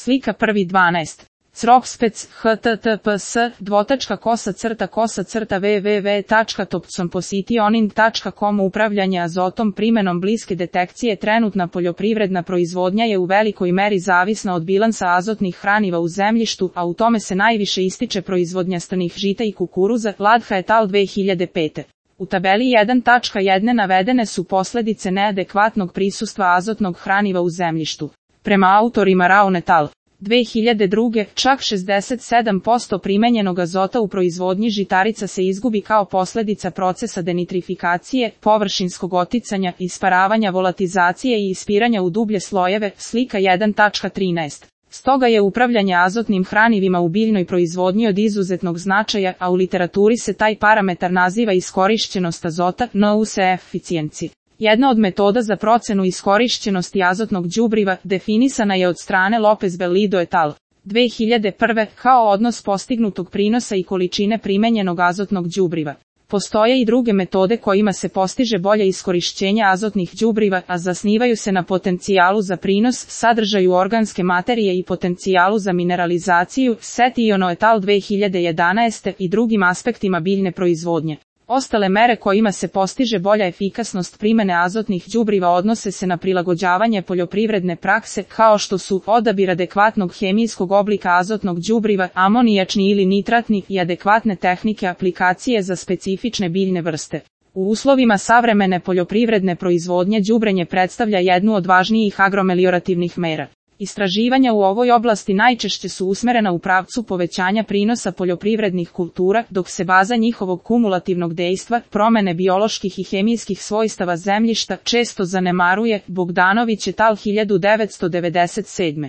Slika 1.12. Cropspec, https://www.topsompositioning.com Upravljanje azotom primenom bliske detekcije. Trenutna poljoprivredna proizvodnja je u velikoj meri zavisna od bilansa azotnih hraniva u zemljištu, a u tome se najviše ističe proizvodnja strnih žita i kukuruza. Ladha et al. 2005. U tabeli 1.1 navedene su posledice neadekvatnog prisustva azotnog hraniva u zemljištu. Prema autorima Raun et al. 2002. čak 67% primenjenog azota u proizvodnji žitarica se izgubi kao posljedica procesa denitrifikacije, površinskog oticanja, isparavanja, volatizacije i ispiranja u dublje slojeve. Slika 1.13. Stoga je upravljanje azotnim hranivima u biljnoj proizvodnji od izuzetnog značaja, a u literaturi se taj parametar naziva iskorišćenost azota, NUC efficiency. Jedna od metoda za procenu iskorišćenosti azotnog đubriva definisana je od strane Lopez Bellido et al. 2001. kao odnos postignutog prinosa i količine primenjenog azotnog đubriva. Postoje i druge metode kojima se postiže bolje iskorišćenje azotnih đubriva, a zasnivaju se na potencijalu za prinos, sadržaju organske materije i potencijalu za mineralizaciju, Setiono et al. 2011. i drugim aspektima biljne proizvodnje. Ostale mere kojima se postiže bolja efikasnost primene azotnih đubriva odnose se na prilagođavanje poljoprivredne prakse, kao što su odabir adekvatnog hemijskog oblika azotnog đubriva, amonijačni ili nitratni, i adekvatne tehnike aplikacije za specifične biljne vrste. U uslovima savremene poljoprivredne proizvodnje đubrenje predstavlja jednu od važnijih agromeliorativnih mera. Istraživanja u ovoj oblasti najčešće su usmerena u pravcu povećanja prinosa poljoprivrednih kultura, dok se baza njihovog kumulativnog dejstva, promene bioloških i hemijskih svojstava zemljišta, često zanemaruje. Bogdanović et al. 1997.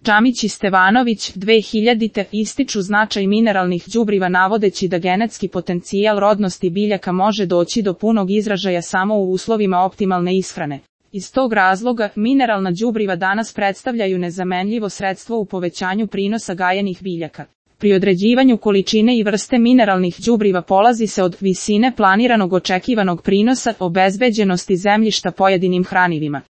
Džamić i Stevanović 2000. ističu značaj mineralnih đubriva navodeći da genetski potencijal rodnosti biljaka može doći do punog izražaja samo u uslovima optimalne ishrane. Iz tog razloga, mineralna đubriva danas predstavljaju nezamenljivo sredstvo u povećanju prinosa gajenih biljaka. Pri određivanju količine i vrste mineralnih đubriva polazi se od visine planiranog očekivanog prinosa, obezbeđenosti zemljišta pojedinim hranivima.